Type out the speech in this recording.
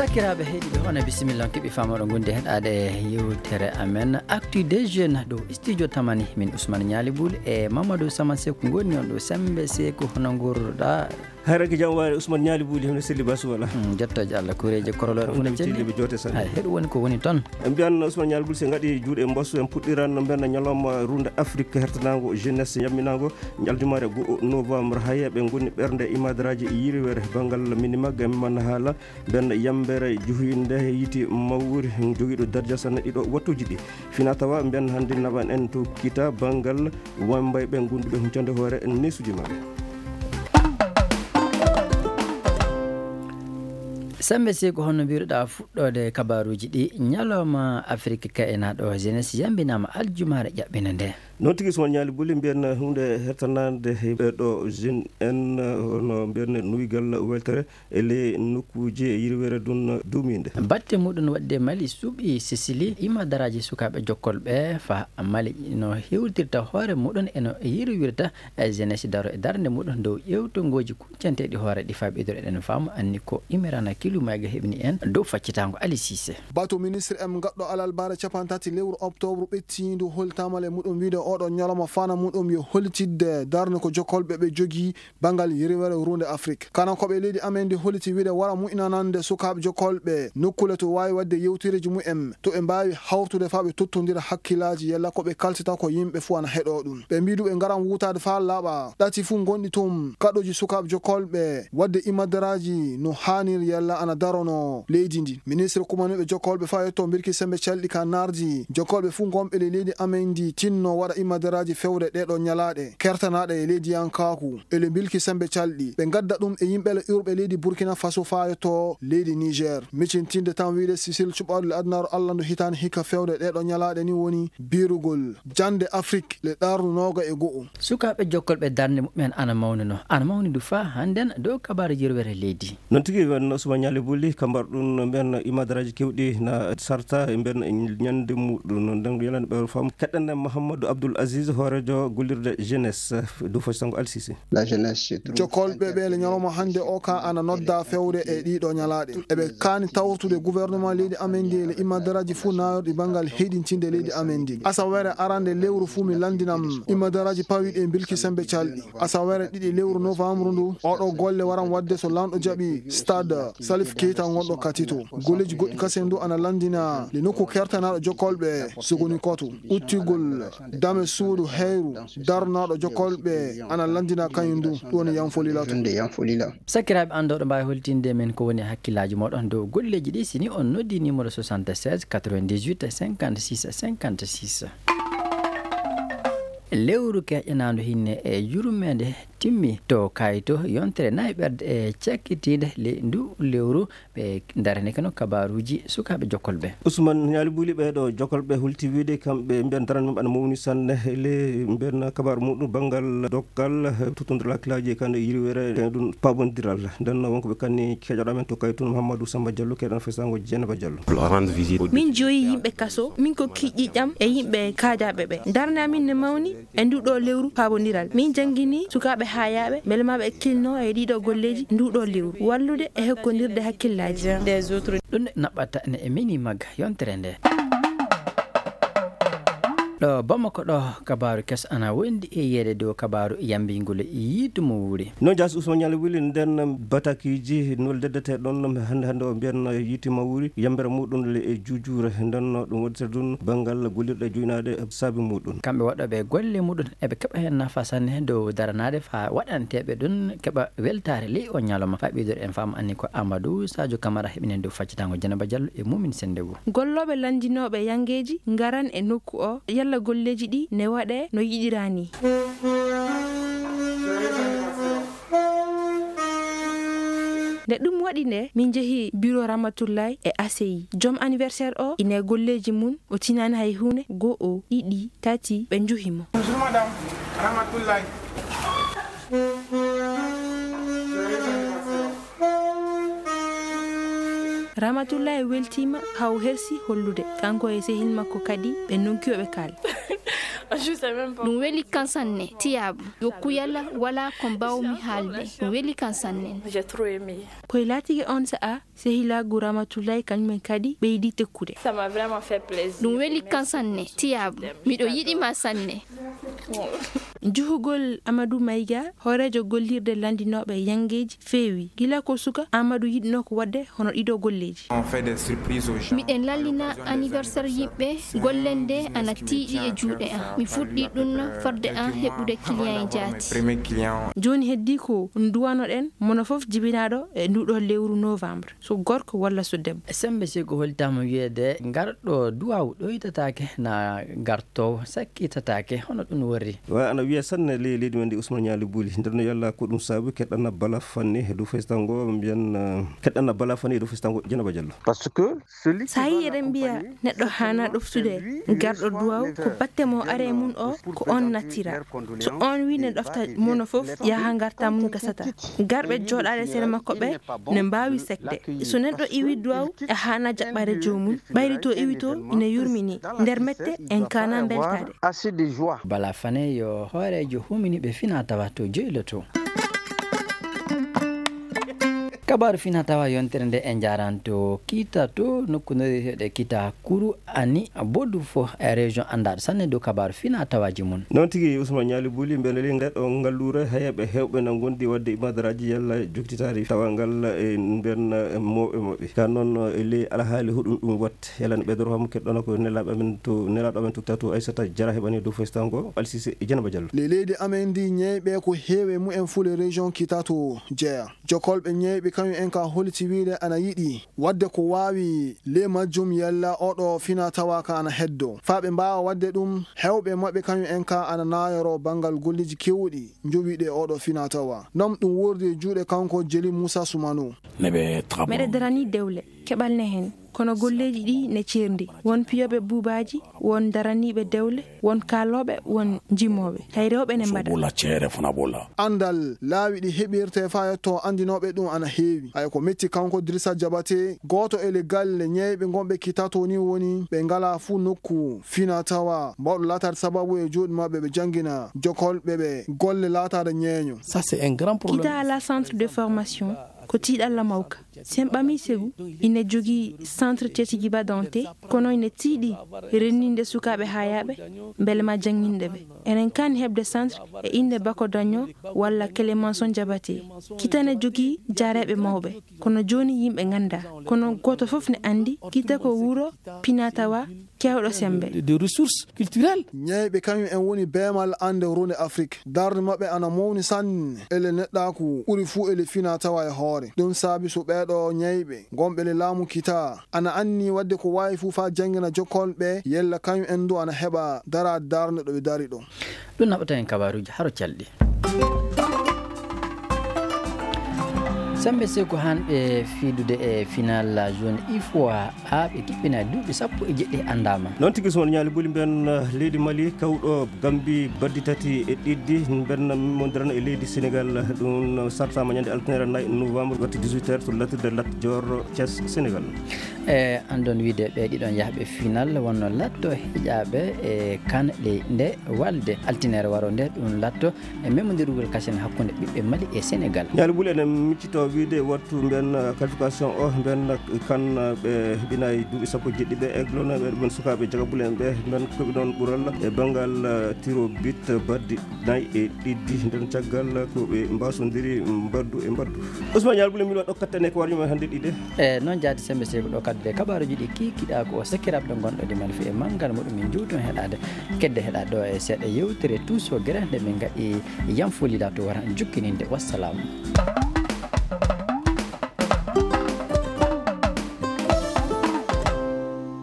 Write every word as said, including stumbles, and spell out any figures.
Sakiraaɓe heɗiiɓe, on e bisimilla, on keɓi faamooɗo ngonde heɗaade yewtere amen Actu des Jeunes ɗo studio Tamani. Min Ousmane Ñaali Bul e Mamadou Sama Seku ngoni on ɗo Sembe Seku, hono ngorruɗaa? Hayra ko jam waare, Ousmane Ñaali Buli, hono selli basu wala? Hmm, jettooje Allah, kureeje koroloore una celli. Ɓe joote sanne. Hay, heɗo woni ko woni toon. En mbiyan Ousmane Ñaali Buli, se ngaɗi juuɗe mbosso, en puɗɗiran no mbiyan ñalawma runde Afrique hertanaango jeunesse yamminaango, aljumaare goo novembre. Haya ɓe ngoni ɓernde imadaraaji yiriwere banngal minimag, en man haala mbiyan yambere juhinde yiiti mawri jogiiɗo darja sanne ɗiɗo wattuuji ɗi. Fina tawa mbiyan hannde naɓan en to kita banngal wambayɓe gonduɓe huncande hoore neesuuji maɓɓe. Sembe Seku, hono mbiruɗaa fuɗɗoode kabaaruuji ɗi, ñalawma Afrik kaynaaɗo jeunesse yambinaama aljumaare ƴaɓɓinde nde. Noon tigi, Ousmane Ñaali Buli, mbiyan huunde hertanaande e ɓeeɗo jeune en, hono mbiyan nuygal weltere e ley nokkuuji e yirweere ɗum duumiinde. Batte muɗum waɗde Mali suuɓi Sisili, imadaraaji sukaaɓe jokkolɓe faa Mali no hewtirta hoore muɗum e no yirwirta e jeunesse daro e darnde muɗum dow ƴeewtongooji kuccanteeɗi hoore ɗi faa ɓeydoro eɗen faamu anni ko Imirana Kilumayga heɓni en dow faccitaango Ali Sise. Bato ministre en gaɗɗo alarbaare capanɗe tati lewru oktoobre ɓettiindu holtaama le muɗum wiide oɗo ñalawma fana muɗum yo hollitidde darnde ko jokkolɓe ɓe jogii banngal yirwere runde Afrik. Kanankooɓe leydi amen ndi holliti wiide wara mu'inanande sukaaɓe jokkolɓe nokkuule to waawi waɗde yewtereeji mumen, to ɓe mbaawi hawrude faa ɓe tottondira hakkillaaji yalla ko ɓe kaltata ko yimɓe fuu ana heɗoo ɗum. Ɓe mbii du ɓe ngaran wuutaade faa laaɓa ɗati fuu ngonɗi toon, kaɗooji sukaaɓe jokkolɓe waɗde imadaraaji no haaniri yalla ana darono leydi ndi. Ministre kumaniiɓe jokkolɓe faa yetto mbirki sembe calɗi ka naardi jokkolɓe fuu ngonɓe le leydi amen ndi tinno waɗa imadaraaji fewde ɗeeɗoo ñalaaɗe kertanaaɗe e leydiyankaaku. Ele mbilki sembe calɗi, ɓe ngadda ɗum e yimɓe le iwruɓe leydi Burkina Faso faa yetto leydi Niger. Micintinde tan wiide Sisili cuɓaaɗo le adunaaru Alla ndu hitaande hikka fewde ɗeeɗoo ñalaaɗe ni woni biirugol jannde Afrik le ɗaarndu nooga e go'o. Sukaaɓe jokkolɓe darnde mumen ana mawnuno, ana mawni du faa hannden dow kabaaru yirwere leydi. Noon tigi, wen Ousmane Ñaali Buli, ka mbar ɗum no mbiyan imadaraaji kewɗi na sarta e mbiyan ñande muɗum, no nden yalande ɓe fam. Keɗɗen Mouhamadou Abdoul Aziz, hooreejo gollirde jeunesse dow faccitaango Al Sisi. La jeunesse, c'est trop. Jokkolɓe ɓe le ñalawma hannde o ka ana nodda fewde e ɗiɗo ñalaaɗe. Eɓe kaani tawtude gouvernement leydi amen ndi e le imadaraaji fuu naayorɗi banngal heyɗintinde leydi amen ndi. Asawere arande lewru fuu mi lanndinam imadaraaji pawiiɗi e mbilki sembe calɗi. Asawere ɗiɗi lewru novembre ndu, oɗo golle waran waɗde so lanɗo jaɓi stade Salif Keita ngonɗo Katito. Golleeji goɗɗi kasen du ana lanndina le nokku kertanaaɗo jokkolɓe Sogoni Koto. Uttigol dame suudu heyru darnaaɗo jokkolɓe ana lanndina kañum du, ɗum woni Yanfolila to. Nde Yanfolila. Sakiraaɓe, an ɗo ɗo mbaawi holtinde men ko woni hakkillaaji mooɗon dow golleeji ɗi, si ni on noddi numéro soixante-seize quatre-vingt-dix-huit cinquante-six cinquante-six. Lewru keƴanaandu hinne e yurmeende timmi to kayto yontere nayi ɓerde e cakkitiinde le ndu lewru. Ɓe darani kano kabaaruuji sukaaɓe jokkolɓe. Ousmane Ñaali Buli, ɓeeɗo jokkolɓe hulti wiide kamɓe mbiyan darande mum ana mawni sanne le mbiyan kabaaru muɗum banngal dokkal tuttondiral hakkillaaji e kano yirwere ɗum paabondiral. Nden wonko ɓe kanni keƴoɗo men to kayto Mouhamadou Samba Diallo, keɗan fesango Dieynaba Diallo. Min joyi yimɓe kaso, min ko kiƴƴiiƴam e yimɓe kaajaaɓe ɓe. Darnde amin ne mawni e ndu ɗo lewru paabondiral. Min janngini sukaaɓe haayaaɓe, mbele maa ɓe kilno e ɗiɗo golleeji ndu ɗo lewru, wallude e hokkondirde hakkillaaji. Ɗum naɓɓata ne e mini magga yontere nde. Ɗo Bamako ɗo, kabaaru keso ana wondi e yeeɗe dow kabaaru yambingol yiitu mo wuuri. Noon jaasi Ousmane Ñaali Wuli, nden batakiiji nuldedeteɗon hannde hannde o mbiyan yiitu mo wuuri, yambere muɗum le e juujuure, nden no ɗum waɗirta ɗum banngal gollirɗe jooynaaɗe saabi muɗum. Kamɓe waɗooɓe golle muɗum eɓe keɓa heen nafa sanne dow daranaade faa waɗanteeɓe ɗum keɓa weltaare ley o ñalawma. Faa ɓeydoɗen faamu anni ko Amadou Sadio Camara heɓinen dow faccitaango Dieynaba Diallo e Momin Sendebo. Gollooɓe lanndinooɓe yanngeeji ngaran e nokku o, yalla golleeji ɗi ne waɗee no yiɗiraa nii. Nde ɗum waɗi nde, min njehi biro Ramatullaay e A C I. Joom anniversaire o, ine golleeji mum, o tinaani hay huunde, go'o, ɗiɗi, tati, ɓe njuhi mo. Bonjour madame Ramatullaay. Ramatullaay weltiima, haa o hersi hollude. Kanko e sehil makko kadi, ɓe ndonki o ɓe kaal. Ɗum weli kan sanne, tiyaabu. Yo kuyala wala ko mbawmi haalde. Ɗum weli kan sanne. Koye laatike on sa'a, sehilaagu Ramatullahi kañum en kadi ɓeydi tekkude. Ɗum weli kan sanne, tiyaabu. Miɗo yiɗi ma sanne. Juhugol Amadou Maïga, hooreejo gollirde lanndinooɓe yanngeeji, feewi. Gila ko suka, Amadou yiɗnoo ko waɗde hono ɗiɗo golleeji. Miɗen lallina anniversaire yimɓe, golle nde ana tiiɗi e juuɗe am. Mi fuɗɗi ɗum fodde am heɓude client e jaati. Jooni heddii ko nduwanoɗen, mono fof jibinaaɗo e nduɗo lewru novembre, so gorko walla so debbo. Sembe si ko holtama wiyeede ngarɗo duwaw ɗoytataake na gartow sakkitataake, hono ɗum worri? Wa ana wiya sanne ley leydi men ndi Ousmane Ñaali Buli. Nder no yalla ko ɗum saabu keɗɗana bala fanni e dow festango, mbiyan, eh, keɗɗana bala fanni e dow festango Dieynaba Diallo. Parce que celui qui... Sa yi eɗen mbiya neɗɗo haana ɗoftude garɗo duwaw, ko batte mo are mum o, ko on nattira. So on wi ne ɗofta mono fof, yaha ngarta mum gasata. Garɓe jooɗaade sere makko ɓe ne mbaawi sekde. So neɗɗo iwi duwaw, a haana jaɓɓaade joomum. Ɓayri to iwi to ina yurmini. Nder mette en kaana mbeltaade. Bala fane yo hooreejo humini ɓe fina tawa to joyloto. Kabaaru fina tawa yontere nde e njaranto kita to nokku no wiyeteeɗo kita kuru ani bodu fo e région anndaɗo sanne dow kabaaru fina tawaji mum. Noon tigi, Ousmane Ñaali Buli, mbele ley ngal ɗo ngalluure, heeɓe heewɓe na ngondi waɗde ibadaraaji yalla jokkitaari tawa ngal e nden, eh, mawɓe maɓɓe. Ka noon, eh, ley alhaali huɗum ɗum waɗte, yalla ne ɓeydoro kam keɗɗono ko nelaaɓe amen to, nelaaɗo amen to Kitato Aissata Diarra heɓani dow festango Alsise e Dieynaba Diallo. Ley leydi amen ndi ñeyɓe ko heewi e mumen fuu ley région Kitato jeya. Jokolɓe ñeyɓe kañum en ka holiti wiide ana yiɗi waɗde ko waawi ley majjum yalla oɗo fina tawa ka ana heddo. Faa ɓe mbaawa waɗde ɗum, heewɓe maɓɓe kañum en ka ana naayoro banngal golleeji keewɗi njowiiɗi e oɗo fina tawa. Noon ɗum wordi e juuɗe kanko Jeli Muusa Sumano. Meɗe darani dewle, keɓal ne heen. Kono golleeji ɗi ne ceerndi. Won piyooɓe buubaaji, won daraniiɓe dewle, won kaalooɓe, won jimooɓe. Hay rewɓe ne mbaɗa. Anndal laawi ɗi heɓirte faa yetto anndinooɓe ɗum ana heewi. Hay ko metti kanko Dirisa Jabate, gooto e le galle ñeyɓe ngonɓe Kitato ni woni ɓe ngalaa fuu nokku fina tawa. Mawɗo laataade sababu e juuɗe maɓɓe ɓe janngina jokolɓe ɓe golle laataade ñeeño. Ça, c'est un grand problème. Kita ala centre de formation, ko tiiɗalla mawka. Si en ɓamii segu, ina jogii centre Tetigi Badante, kono ina tiiɗi renndinde sukaaɓe haayaaɓe, mbele ma jannginde ɓe. Enen kan heɓde centre e innde Bako Daño walla Clémenceau Jabate. Kita ne jogii jaareeɓe mawɓe, kono jooni yimɓe nganndaa. Kono gooto fof ne anndi, kita ko wuro pinatawa keewɗo semmbe. De, de ressources culturelles. Ñeyɓe kañum en woni beemal annde runde Afrik. Darnde maɓɓe ana mawni sanne ele neɗɗaaku ɓuri fuu ele fina tawa e hoore. Ɗum saabi so ɓeeɗo ñeyɓe ngonɓe le laamu kita ana anni waɗde ko waawi fuu faa janngina jokkolɓe yella kañum en du ana heɓa daraade darnde ɗo ɓe dari ɗo. Ɗum naɓata en kabaaruuji haro calɗi. Sembe Seku hanɓe fiidude e final jaune ifoa A ɓe kiɓɓina duuɓi sappo e jeɗɗi anndaama. Noon tigi, Usman Ñaali Buli, mbiyen, eh, leydi Mali, kawɗo Gambi baddi tati e ɗiɗi, mbiyen mondirana e leydi Senegal. Ɗum sartama ñande altine nayi novembre, wattu dix-huit heures to lattirde Lat Dior, Thiès, Senegal. E anndon wiide ɓe ɗiɗon yahɓe final wonno latto heƴaaɓe e kan ley nde walde altinere waro nde, ɗum latto e memmondirgol kasen hakkunde ɓiɓɓe Mali e Senegal. Ñaali Buli, enen miccito wiide wattu mbiyen, eh, qualification o, mbiyen kan, eh, ɓe heɓinayi duuɓi sappo e jeɗɗi ɓe, eglonoɓe ɓen sukaaɓe jagabule en ɓe, mbiyen koɓe ɗon ɓural e banngal, eh, tiro bit baddi nayi e ɗiɗi. Nden caggal ko ɓe mbasondiri mbaddu e mbaddu. Usman Ñaali Buli, min waɗo kattane ko warñuma hannde ɗiɗe. E noon jaati sembe sey ko ɗo kaddude kabaaruuji ɗi kiikiɗa ko o Sekiraaɓe ɗo gonɗo ɗi mani fi e manngal muɗum min jowtu heɗaade. Kedde heɗaade ɗo e seeɗa yewtere Tuuso Gere nde min ngaɗi yam folida to wara jukkininde. Wassalaamu.